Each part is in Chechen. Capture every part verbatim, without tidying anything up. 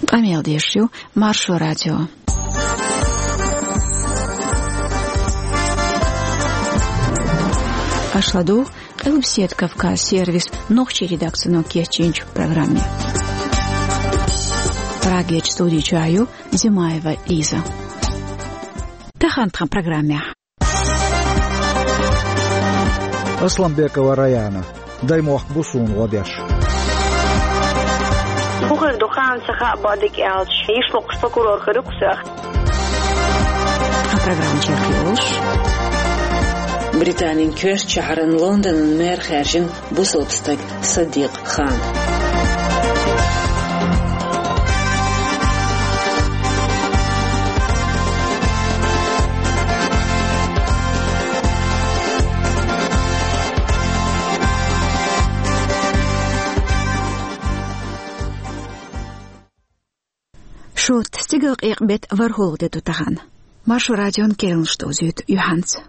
Къамел деш ю Маршо радио. Аша ладугӀу Къилбаседа Кавказ сервисан нохчийн редакцино кечйинчу программе. Прагерчу студи чохь ю Зимаева Лиза. Тахана тхан программехь. Асланбекова Раяна. Даймохк бу суна гӀо деш. ХӀун хир ду, хан ца хаьа, бадик аьлча, йиш локхуш прокурор хир ю кху сах. А программа чекхйолуш. Британин коьртачу шахьаран Лондонан мэр хаьржина бусалба стаг Саддикъ Хан. Шот, стигалкъекъа беттан ворхӀалгӀа де ду тахана. Маршо радион керланаш довзуьйту юьхьанца.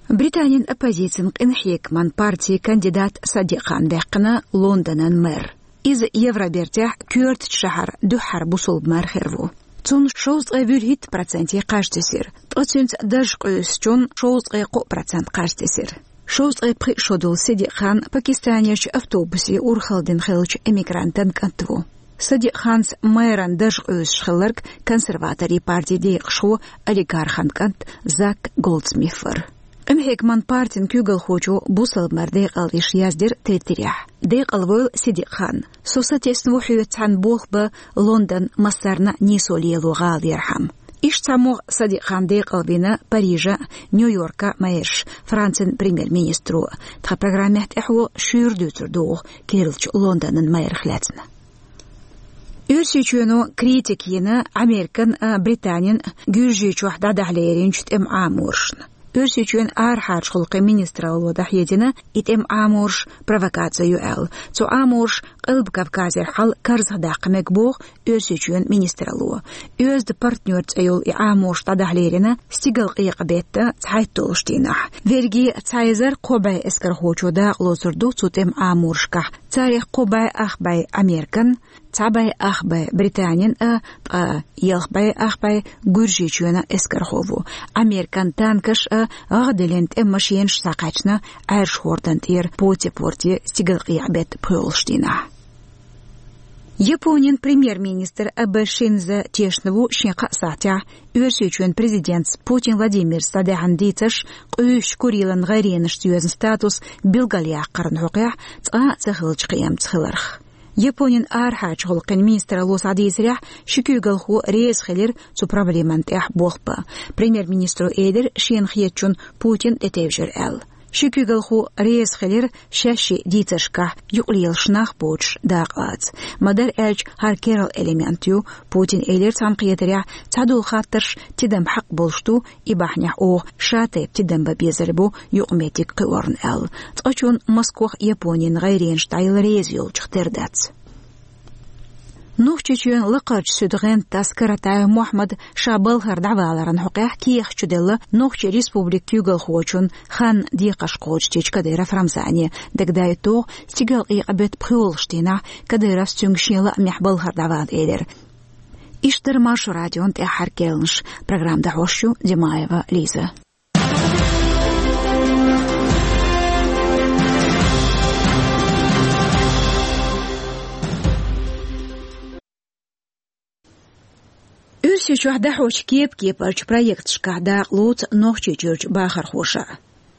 Британин оппозицин къинхьегаман партин кандидат Саддикъ Хан ваьккхина Лондонан мэр. Иза Евробертехь коьртачу шахьаран дуьххьара бусалба мэр хир ву. Цунна шовзткъе вуьрхӀитта проценте кхаж тесира, ткъа цуьнца дарж къуьйсучунна шовзткъе кхоъ процент кхаж тесира. Шовзткъе пхиъ шо долу Саддикъ Хан Пакистанерчу автобусе урхалла дина хиллачу эмигрантан кӀант ву. Саддикъ Ханца мэран дарж къуьйсуш хилларг консерваторийн партин декъашхо, олигархан кӀант Зак Голдсмит вара. Къинхьегаман партин куьйгалхочо бусалба мэр декъалдеш яздира Твиттерехь: «Декъалвойла, Саддикъ Хан. Со сатесна ву хьоьца цхьаьна болх бан Лондон массарна а нийсо лело гӀалархьама». Иштта цхьа могӀа Саддикъ Хан декъалвина Парижан а, Нью-Йоркан а мэраш, Францин премьер-министро. Тхан программехь тӀаьхьо шуьйра дуьйцур ду оха керлачу Лондонан мэрах лаьцна. Оьрсийчоьно критика йина Американ а, Британин а Гуьржийчохь дӀадахьа леринчу тӀеман Ӏаморашна. Оьрсийчоьнан арахьарчу гӀуллакхийн министралло дӀахьедина и тӀеман Ӏамораш провокаци ю аьлла. Цу Ӏамораша Къилба Кавказера хьал карзахдаккха мега, боху Оьрсийчоьнан министралло. Оьзда партнер цӀе йолу и Ӏамораш дӀадахьа лерина стигалкъекъа беттан цхьайтталгӀачу дийнахь. Верриге цхьа эзар кхо бӀе эскархочо дакъалоцур ду цу тӀеман Ӏаморашкахь. Царех кхо бӀе ах бӀе Американ, цхьа бӀе ах бӀе Британин а, ткъа ялх бӀе ах бӀе Гуьржийчоьнан эскархо ву. Американ танкаш а, гӀагӀделлин тӀеман машенаш схьакхаьчна Ӏаьржа хӀордан тӀера Поти-Порте стигалкъекъа беттан пхоьалгӀачу дийнахь. Японин премьер-министр Абэ Шинзо тешна ву шен кхаа сахьтехь Оьрсийчоьнан президентца Путин Владимирца дӀадаьхьна дийцарш къуьйсучу Курилан гӀайренашца йоьзна статус билгалъяккхарна хьокъехь цкъа а ца хиллачу кхиамца хиларх. Японин арахьарчу гӀуллакхийн министралло схьадийцарехь, ши куьйгалхо реза хилира цу проблеман тӀехь болх бан. Премьер-министро элира шена хетачунна Путин тӀетевжира аьлла. Ши куьйгалхо реза хилира шаьшшиъ дийцаршкахь юкъалелаш нах боцуш дакъалаца. Ма-дарра аьлча, хӀара керла элемент ю. Путина элира цхьаьнакхетарехь, цхьадолу хаттарш тидам хьакъ болуш ду, и бахьанехь оха шатайпа тидам бан безар бу юкъаметтиг кхиорна аьлла. Цкъачунна Москох Японин гӀайренаш дӀаяла реза йолчух тера дац. Нохчийчоьнан лакхарчу суьдан гӀентас Каратаев Мохьмад ша балхара дӀаваларан хьокъехь кехат чуделла Нохчийн Республикан куьйгалхочун хан декхарш кхочушдечу Кадыров Рамзане. Дагадойту, стигалкъекъа беттан пхоьалгӀачу дийнахь Кадыровс цуьнга шен лаамехь балхара дӀавала элира. Иштта дара Маршо радион тӀаьххьара керланаш. Программа дӀахьош ю Димаева Лиза. Оьрсийчохь дӀахьочу кеп-кепарчу проекташкахь дакъалоцу Нохчийчуьрчу бахархоша.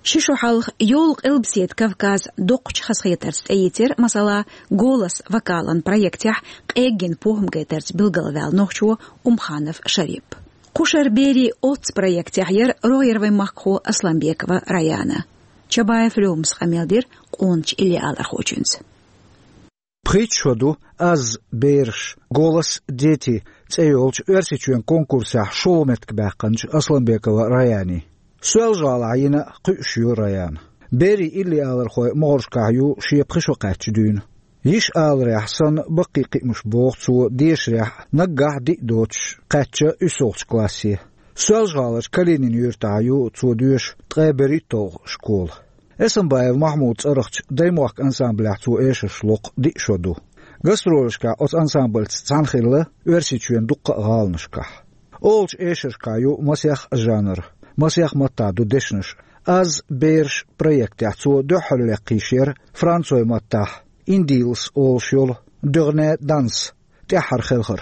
Ши шо хьалха йолу Къилбаседа Кавказ доккхачу хазахетарца тӀеийцира, масала, «Голос» вокалан проектехь къеггина похӀма гайтарца билгалваьлла нохчо Умханов Шарип. Кхушара берийн оццу проектехь яра рогӀера вайн махкахо Асланбекова Раяна. Чабаев Лёмас къамел дира къоначу иллиалархочуьнца. Пхийтта шо ду «Аз, бераш», «Голос дети» цӀе йолчу Оьрсийчоьнан конкурсехь шолгӀа меттиг баьккхинчу Асланбекова Раянин. Соьлжа-ГӀалахь йина кхуьуш ю Раяна. Берийн иллиалархойн могӀаршкахь ю шен пхи шо кхаьчча дуьйна. Йиш аларехь санна, баккхий кхиамаш боху цо дешарехь, наггахь диъ доцуш кхаьчна уьссалгӀачу классе. Соьлжа-ГӀаларчу Калинин юьртахь ю цо доьшу ткъе берхӀитталгӀа школа. Эсамбаев Махьмудан цӀарахчу «Даймохк» ансамблехь цо эшарш локху диъ шо ду. Гастролашкахь оцу ансамбльца цхьаьна хилла Оьрсийчоьнан дуккха а гӀаланашкахь. Олучу эшаршкахь ю масех а жанр, масех а маттахь ду дешнаш. «Аз бераш» проектехь цо дуьххьарлаккхийш яра францойн маттахь «Индилс» олуш йолу дуьххьара данс, тӀаьххьара хелхар.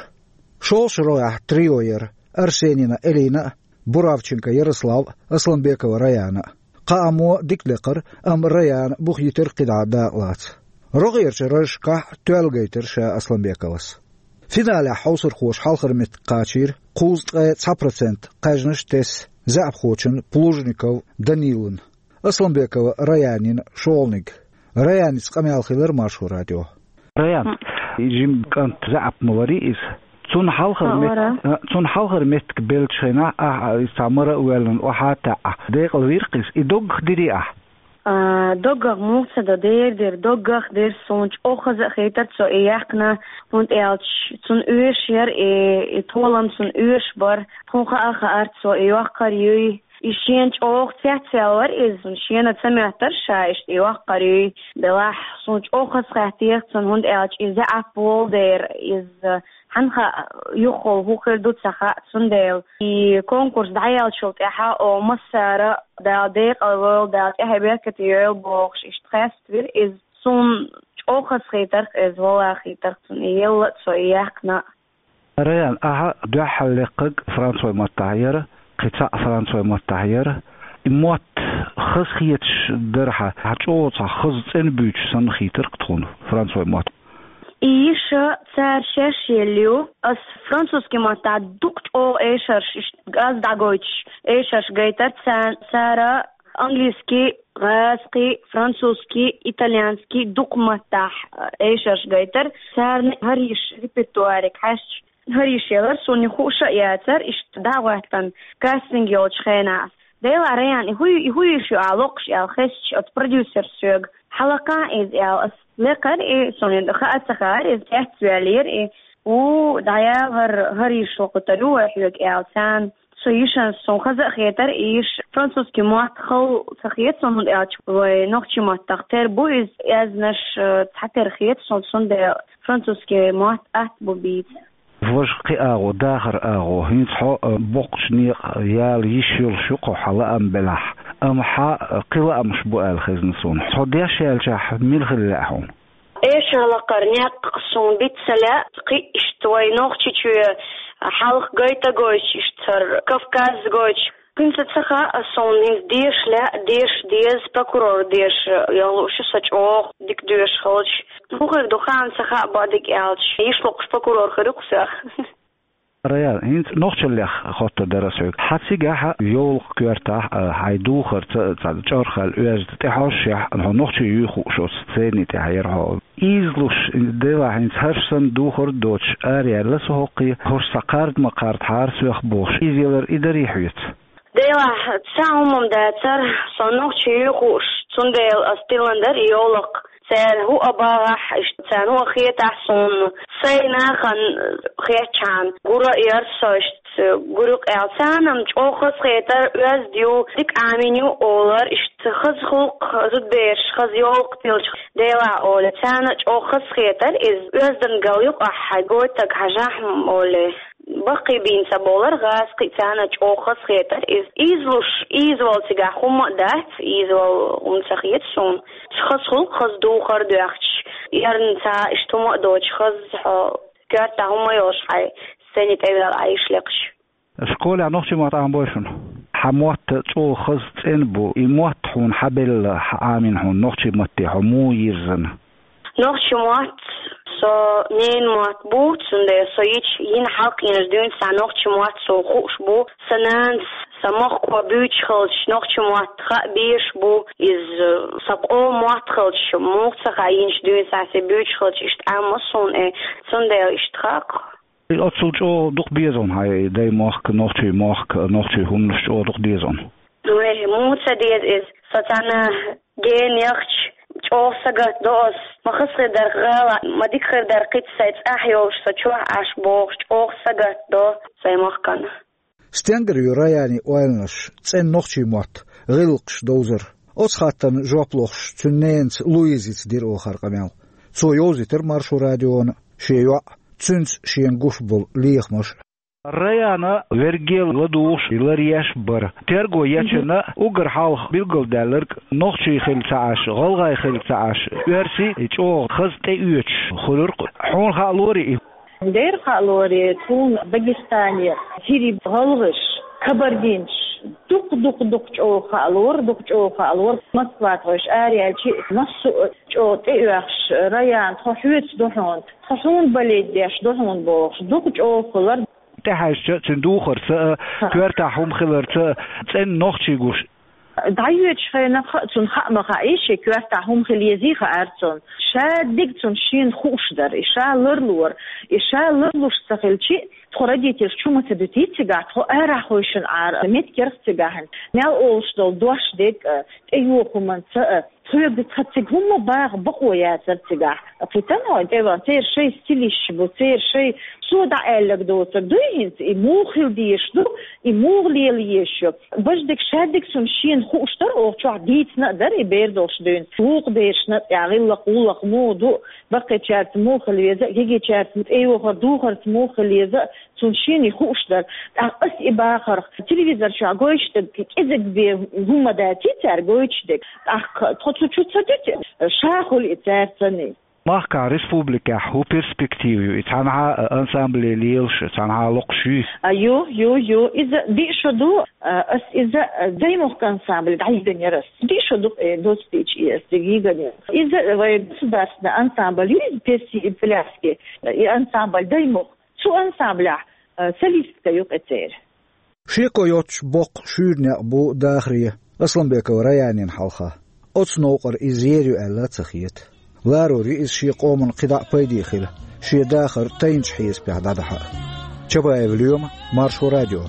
ШолгӀачу рогӀехь трио яра: Арсенина Элина а, Буравченко Ярослав а, Асланбекова Раяна а. Кхаамо дика лекхара, амма Раяна бух йитира кхидӀа дакъалаца. РогӀерчу разашкахь тоьлла гайтира ша Асланбековас. Финалехь хьовсархоша хьалхара меттиг кхачийра кхузткъе цхьа процент кхаьжнаш а тесна заьӀапхочун Плужников Данилан. Асланбекова Раянин шолгӀаниг. Раяница къамел хилира Маршо радион. Раян, жима кӀант, заьӀап ма варий иза. Цунна хьалхара мет-, а, цунна хьалхара меттиг беллачу хенахь, ахь, а, иза цхьа мара а воьллина охьа а таьӀна, декъала вира-кх иза, и доггах дирий ахь? А, доггах муха ца до, дер дира, доггах дира, суна чӀогӀа хаза а хийтира цо и яьккхина, хӀунда аьлча цунна оьшуш яра и, и толам цунна оьшуш бара, тхуна хаа а хаьара цо и йоккхур юй. И шена чӀогӀа цецваьлла вара иза, шена ца моьттура ша иштта и йоккхур юй. Делахь, суна чӀогӀа хазахетта цунна, хӀунда аьлча и заьӀап волу дера, иза хьанна хаьа, юххехула хӀун хир ду ца хаьа, цундела и конкурс дӀаяьллачул тӀаьхьа оха массара а Дала декъала войла, Дала тӀаьхье беркате йойла бохуш, иштта хеставира иза. Суна чӀогӀа хазахетарх иза, валлахӀи, хетарх цунна и елла а, цо и яьккхина а. Раян, ахьа дуьххьара лекхарг францойн маттахь яра, кхин цхьаъ францойн маттахь яра. И мотт хазахеташ дара хьан, хьан чӀогӀа цхьа хаза цӀена буьйцуш санна хийтира-кх тхуна францойн мотт? И йиша цара шаьш елла ю. Ас французский маттахь дукха чӀогӀа эшарш, иштта аз дӀагойтуш эшарш гайтара ца-, цара. Английский, гӀазкхий, французский, итальянский дукха маттахь, э, эшарш гайтара. Царна хӀара йиша репертуариг хьаьжча, хӀара йиша елара, суна и хууш а яцара, иштта дӀа а гӀоьттина, кастинг йолчу хенахь. Делахь, Раян, и хӀу-, и хӀун йиша ю ахь локхуш аьлла хезча, оцу продюсерс соьга, хьалакхахьа иза аьлла, ас лекхара и, суна и хаа ца хаьара, иза цецваьллера и. Ву, дӀаяла хӀара, хӀара йиша локхуьйтур ю вай хьоьга аьлла царна. Со йишанца суна хаза а хетара, и йиша французский мотт хала ца хета суна, хӀунда аьлча вай нохчийн маттахь тера бу иза, аьзнаш, э, цхьатера хета суна, цундела французский мотт атта бу бийца. Важа кхин агӀо, дахар агӀо, хӀинца хьо, э, боккхачу некъа яла йиш йолуш ю-кх хьан лаам белахь, амма хьан, э, кхин лаамаш бу аьлла хезна суна. Хьо деш яьллачохь мила хила лаьа хьуна? Эшар лакхара некъ суна биц ца лаьа, кхин иштта вай Нохчийчоь хьалха гайта а гойтуш, иштта цара Кавказ гойтуш. ХӀинца ца хаьа суна, хӀинца деша лаьа, деша деза, прокурор деша яла лууш ю со чӀогӀа дика доьшуш хилча. ХӀун хир ду, хаам ца хаьа, бакъдерг аьлча, йиш локхуш прокурор хир ю-кх соьх. Раян, хӀинца нохчаллех хоттур дара ас хьоьга. Хьан цигахь йовлакх коьртахь, а, хьайн духарца цхьа чӀорхаьлла оьзда тӀехьожушехь, хьо нохчи юй хууш оцу сцени тӀехь яра хьо. Ийзалуш, делахь хӀинца хӀорш санна духар а доцуш, араяьлла со хӀокхе, хӀорш цхьа кхарда ма кхардахьара соьх бохуш, ийзалар и дарий хьоьца? Делахь, цхьа хӀума-м дацара, со нохчи юй хууш, цундела ас тиллина дара и йовлакх. Цара хӀун а багӀахь, иштта царна хӀун а хетахь суна, сайн нахана хетчхьана, гур а яра со, иштта гур ю-кх аьлла. Царна-м чӀогӀа хазахетара, оьзда ю, дика Ӏамийна ю олара, иштта хаза гӀуллакх, зудабераш, хаза йовлакх тиллача, делахь олий. Царна чӀогӀа хазахетара иза, оьздангалла ю-кх ахь, хьайн гойтург хьажахь-м олий. Баккхий бийна ца бовлура, гӀазкхий, царна чӀогӀа хазахетара иза. Ийзалуш, ийзавала цигахь хӀума а дац, ийзавала хӀума ца хета суна. Хаза гӀуллакх, хаза духар а доьхкуш, эрна цхьа иштта хӀума а доцуш, хаза хьо коьртахь хӀума а йолуш хьайн сцени тӀе ваьлла Ӏайша лекхаш. Школехь нохчийн мотт Ӏамабой шуна? Хьан мотт чӀогӀа хаза цӀена бу, и мотт хьуна хьан белла, хьан Ӏамийна хьуна, нохчийн матте хьо муха йирзина? Нохчийн мотт со ненан мотт бу, цундела со йича, йина хьалха йинчу дуьйна схьа нохчийн мотт суна хууш бу. Сан нанас сан махко буьйцуш хилча, нохчийн мотт хаа безаш бу. Иза сан къоман мотт хилча, муха ца хаьа, йинчу дуьйна схьа сан буьйцуш хилча, иштта Ӏамма суна, э, цундела иштта хаьа-кх. Оццул чӀогӀа дукха деза хьуна хьайн даймохк, нохчийн мохк, нохчийн хӀуманаш чӀогӀа дукха деза хьуна? Вай, муха ца деза иза? Со цхьана гена яхча, чӀогӀа сагатдо ас. Ма хаза хир дара гӀала, ма дика хир дара кхин а сайн цӀахь йолуш со чохь Ӏаш бохуш, чӀогӀа сагатдо сайн махкана. Стенгара ю Раянин ойланаш, цӀена нохчийн мотт, гӀиллакхаш довзар? Оцу хаттарна жоп лохуш, цуьнан ненаца Луизица дира оха хӀара къамел. Цо йовзийтира Маршо радиона шен йоӀ, цуьнца шена гуш болу лехамаш. Раяна верг ладугӀуш ларъеш бара. Терго ечунна уггар хьалха билгалдаьлларг нохчий хилла ца Ӏаш, гӀалгӀай хилла ца Ӏаш, оьрсий чӀогӀа хаза тӀеоьцуш хуьлура-кх. Хьуна хаа лорий и? Дера хаа лорий, тхуна Дагестане хӀирий, гӀалгӀаш, кабардинцаш дукха-дукха-дукха чӀогӀа хаа лора, дукха чӀогӀа хаа лора. Москва тхойш араяьлча, массо а чӀогӀа тӀеоьхуш, Раяна, тхо хьоьца ду хьуна, тхо хьуна болеть деш ду хьуна бохуш, дукха чӀогӀа хуьлура. ТӀехьаьжча, цуьнан духарца а, коьртахь хӀума хиларца а цӀена нохчий гуш. ДӀайоьдучу хенахь а цунна хаа ма хаьий, шен коьртахь хӀума хила езий хаьара цунна. Ша дерг цунна шена хууш дара, и ша ларлора, и ша ларлуш ца хилча, тхо родительш чу ма ца дуьтий цигахь, тхо арахь хевшина Ӏара, меттигерг цигахь, мел олуш долу дош дерг а, тӀейогӀу хӀуманца а, тхоьга цхьа цига хӀумма баха бакъо яцара цигахь. Кхин цхьа хӀума тӀе ван, церан шайн стилисташ бу, церан шайн, цо дӀааьлларг доцург дуй хӀинца, и муха хила дезаш ду, и муха лела езаш ю. Баждиг шадиг цунна шена хууш дара, оха чохь дийцина а дара и бер долуш дуьйна. Вукху берашна а тӀехь гӀиллакх, гӀуллакх муха ду, баккхийчаьрца муха хила веза, гигичаьрца тӀейогӀур духарца муха хила еза, цунна шена и хууш дара. ТӀаккха ас и бахарх, телевизор чохь гойтуш дерг кӀезиг бен хӀумма даций цара гойтуш дерг. ТӀаккха тхо цу чу ца дуьту, ша хуьлу и цаьрцанний. Махкахь республикехь хӀун перспектива ю? И цхьанхьа а ансамбле лелаш, цхьанхьа а локхуш юй? А, ю, ю, ю. Иза диъ шо ду, а, ас иза, а, Даймохк ансамбле дӀайигна яра ас. Диъ шо ду, э, доцу дийча и ас дигна яра. Иза вай государственный ансамбль ю, иза песни и пляски, и ансамбль Даймохк. Цу ансамблехь, а, солистка ю кху церан. Шеко йоцуш боккха шуьйра некъ бу дахаре Асламбекова Раянина хьалха. Оцу новкъара иза ер ю аьлла ца хета. Ларор ю иза шен къоман кхидӀа а пайде хила, шен дахар тайначу хьесапехь дӀадахьа. Чабаев Лоьма, Маршо радио.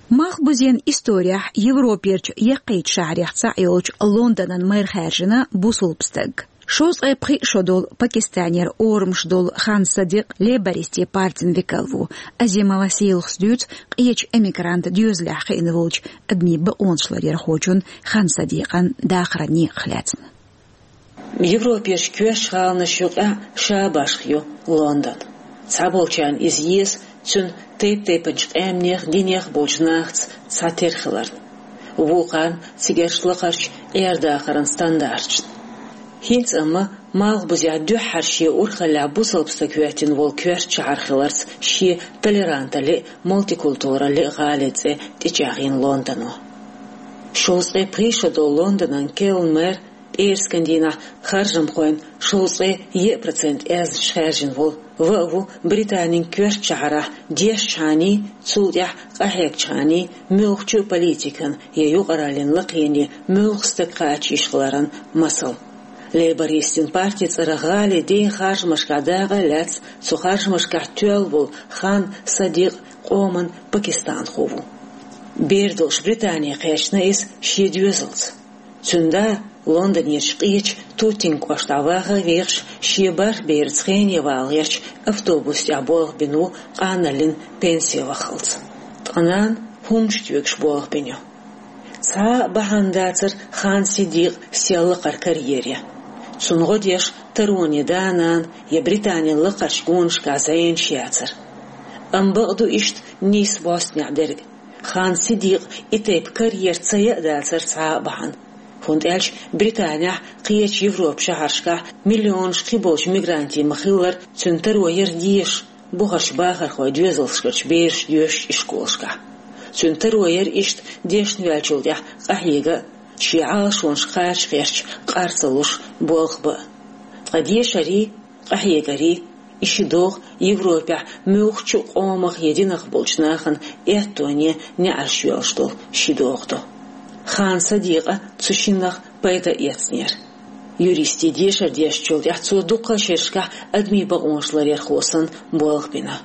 Малхбузен исторехь Европерчу яккхийчу шахьарех цхьаъ йолчу Лондонан мэр хаьржина бусалба стаг. Шовзткъе пхиъ шо долу Пакистанера орамаш долу Хан Садикъ лейбористийн партин векал ву. Азимова Сийлахас дуьйцу къечу эмигрант доьзалехь хиъна волчу адамийн бакъонаш ларъярхочун Хан Садикъан дахаран некъах лаьцна. Европерчу коьртачу гӀаланаш юкъахь ша башха ю Лондон. Цхьаболчарна иза еза цуьнан тайп-тайпанчу къаьмнех, динех болчу нахаца цхьатерра хиларна, вукхарна цигарчу лакхарчу къердахаран стандарташна. ХӀинца амма Малхбузехь дуьххьара шен урхаллехь бусалба стаг хӀоьттина волу коьртачу шахьар хиларца шен толеранталле а, мультикультуралле а гӀалин цӀе тӀечӀагӀйина Лондоно. Шовзткъе пхиъ шо долу Лондонан керла мэр пӀераскан дийнахь харжамхойн шовзткъе еа процент аьзнаш хаьржина волу, ва а ву Британин коьртачу шахьарахь дешчхьаний, цул тӀаьхьа къахьегчхьаний муьлххачу а политикан я юкъараллин лакхене муьлхха стаг кхача йиш хиларан масал. Лейбористийн партин цӀарах гӀалин ден харжамашкахь дакъа а лаьцна, цу харжамашкахь тоьлла волу Хан Садикъ къоман пакистанхо ву. Бер долуш Британе кхаьчна иза шен доьзалца. Цуьнан да Лондонерчу къечу Тутинг кӀоштахь ваха а вехаш, шен бархӀ бераца хене вала гӀерташ, автобус тӀехь болх бина ву, къаналлин пенсе ваххалц. Ткъа нана хӀуманаш тоьгуш болх бина ю. Цхьа а бахьана дацара Хан Сидикъан сел лакхара карьере. Цунна гӀо деш тароне да-нана я Британин лакхарчу гонашкахь зӀенаш яцара. Амма бакъду иштта нийса бӀостанехь дерг. Хан Сидикъан и тайпа карьера ца яа дацара цхьа а бахьана. ХӀунда аьлча Британехь, кхечу Европан шахьаршкахь миллионаш кхиболчу мигрантийн ма-хиллара, цуьнан таро яра дезаш. бухарчу бахархойн доьзалшкарчу берашна доьшучу ишколашкахь. Цуьнан таро яра иштта дешна ваьллачул тӀаьхьа къахьега а, шен Ӏалашонаш кхача гӀерташ, къар ца луш, болх бан а. Ткъа дешарий, къахьегарий, и ши догӀа Европехь муьлххачу а къомах я динах болчу нахана аьттоне неӀарш йоьллуш долу ши догӀа ду. Хан Садикъа цу шиннах пайда эцнера. Юристийн дешар дешначул тӀаьхьа цо дуккха а шерашкахь адамийн бакъонаш ларъярхо санна болх бина.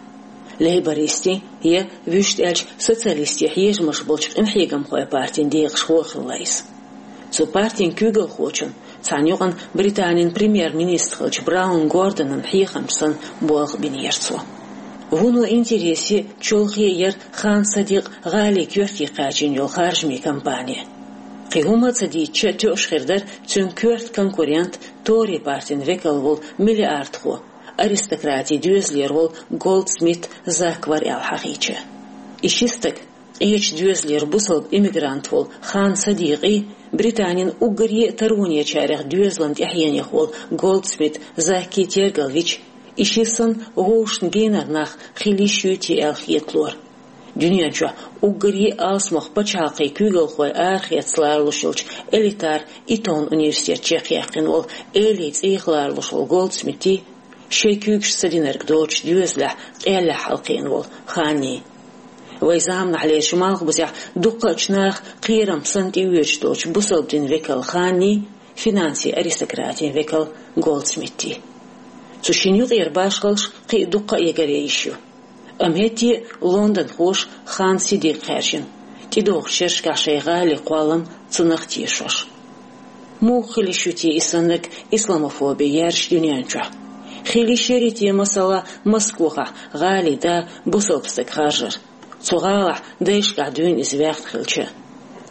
Лейбористийн я, вуьшта аьлча, социалистийн хьежамаш болчу къинхьегамхойн партин декъашхо а хилла иза. Цу партин куьйгалхочун, цхьана юкъана Британин премьер-министр хиллачу Браун Гордонан хьехамча санна болх бинера цо. Вуно интересе а, чолхе а яра Хан Садикъ гӀалин коьрте кхачийна йолу харжамийн кампани. Кхин хӀума а ца дийцича, тоьуш хир дара цуьнан коьрта конкурент, Тори партин векал волу миллиардхо, аристократийн доьзалера волу Голдсмит Зак вара аьлла хьахийча. И ши стаг, къечу доьзалера бусалба иммигрант волу Хан Садикъий, Британин уггаре а таронечарех доьзалан тӀаьхьенех волу Голдсмит Заккий тергал йича, и ши санна вовшашна генара нах хила йиш юй те аьлла хеталора. Дуьнен чохь уггаре а алсамох пачхьалкхийн куьйгалхой арахеца ларалуш йолчу элитар Итон университет чекхъяьккхина волу элий цӀийх ларалуш волу Голдсмитий, шайн куьйгашца ца динарг доцучу доьзалехь къеллехь хьалакхиъна волу Ханний. Вайн заманахьлерчу Малхбузехь дуккхачу наха кхерам санна тӀеоьцуш долчу бусалба дин векал Ханний, финансийн аристократийн векал Голдсмитий. Цу шинна юкъера башхаллаш кхин а дуккха а ягаръян йиш ю. Амма хӀетте а лондонхоша Хан Садикъ хаьржина, тӀедогӀучу шерашкахь шайн гӀалин кхоллам цунах тешош. Муха хила йиш ю те и саннарг исламофоби яьржачу дуьнен чохь? Хила йиш яра те, масала, Москохахь гӀалин да бусалба стаг харжар, цу гӀалахь дайшкахь дуьйна иза ваьхна хилча?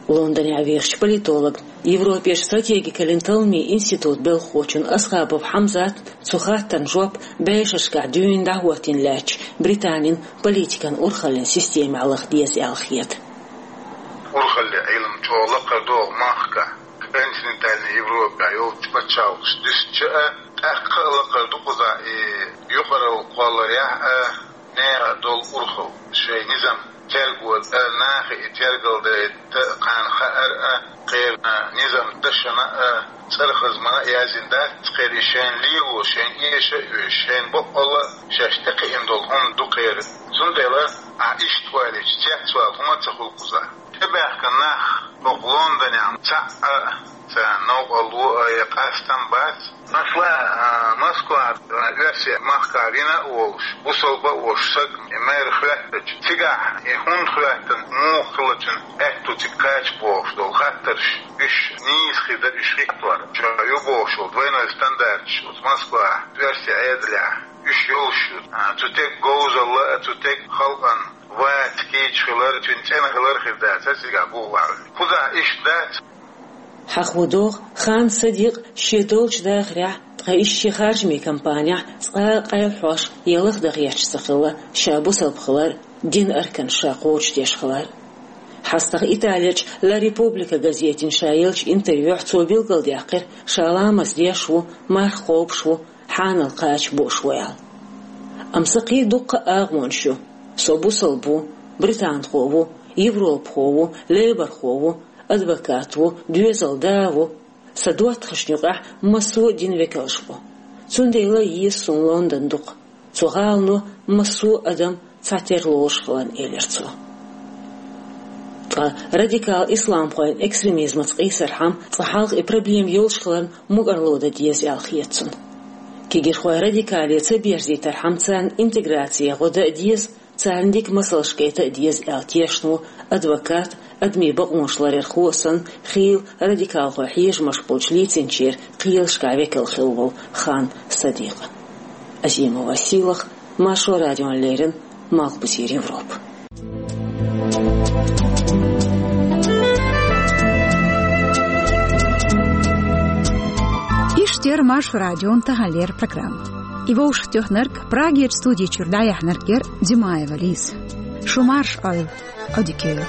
Лондонехь вехачу политологна, Европерчу стратегикаллин талламийн институтан белхахочун Асхабов Хьамзатна цу хаттарна жоп бӀешерашкахь дуьйна дӀахӀоттийна лаьттачу Британин политикан урхаллин системехь лаха деза аьлла хета. Урхаллин Ӏилма чӀогӀа лакхара догӀу махкахь, континентальный Европехь йолчу пачхьалкхашна дуьстича а, тӀаккха а лакхара ду кхузахь и юкъаралла кхолларехь а, нехан долу урхалла, шайн низам терго а, нахе и тергал дайта а, кхарна хаар а, кхеран низам дашна а, цӀархазмана а яздина дац кхеран, и шайна лело, шайна эша а оьшу, шайна бакъволла а шаьш тӀекхиъна долу хӀума ду кхеран. Цундела ахь иштта ойла йича, цецвала хӀума а ца хуьлу кхузахь. ТӀебаьхкина нах хӀокху Лондонехь цхьаъ а, царна новкъарло а я къастам бац. Масала, а, Москва, а, оьрсийн махкахь вина а волуш, бусалба а волуш саг и мэр хӀоьттича, цигахь и хӀунда хӀоьттина, муха хилла цуьнан аьтто цига кхача бохуш долу хаттарш, уьш нийса хир дара уьш хӀиттор, чохь ю бохуш волу двойной стандарташ оцу Москвахь, оьрсийн Ӏедалехь, уьш йолуш ю. А, цу стеган говзалла а, цу стеган халкъан вац кийча хилар, цуьнан цӀена хилар хир дац цигахь боху бахьана. Кхузахь иштта дац. Хьахо догӀу, Хан Садикъ шен долчу дахарехь, ткъа иштта шен харжамийн кампанехь цкъа а къайлахьош я лахдаха гӀерташ ца хилла ша бусалба хилар, динан арканаш ша кхочушдеш хилар. ХьастагӀа Италерчу «Ла Република» газетина ша еллачу интервьюхь цо билгалдаьккхира ша ламаз деш ву, марха кхобуш ву, хьанал кхача бууш ву аьлла. Амма сан кхин а дуккха а агӀонаш ю. Со бусалба ву, британхо ву, европахо ву, лейборхо ву, адвокат ву, доьзалан да ву. Сан доттагӀашна юкъахь массо а динан векалш бу. Цундела а еза суна Лондон дукха. Цу гӀалано массо а адам цхьатера лоруш хиларна, элира цо. Ткъа радикал исламхойн экстремизмаца къийсархьама, цкъа хьалха и проблема йолуш хиларна мукӀарло дан деза аьлла хета цунна. Кегирхой радикале ца берзийтархьама, царна интеграци гӀо дан а деза, царна дика масалш гайта а деза аьлла тешна ву адвокат, адамийн бакъонаш ларъярхо а санна, хийла радикалхойн хьежамаш болчу лецначеран кхелашкахь векал хилла волу Хан Садикъа. Азимова Сийлаха, Маршо радиона леррина, Малхбузера Европа. Иштта яра Маршо радион таханлера программа. И вовшахтоьхнарг, Прагерчу студи чуьра дӀаяьхьнарг яра Димаева Лиза. Шу марша Ӏойла, Ӏодика йойла.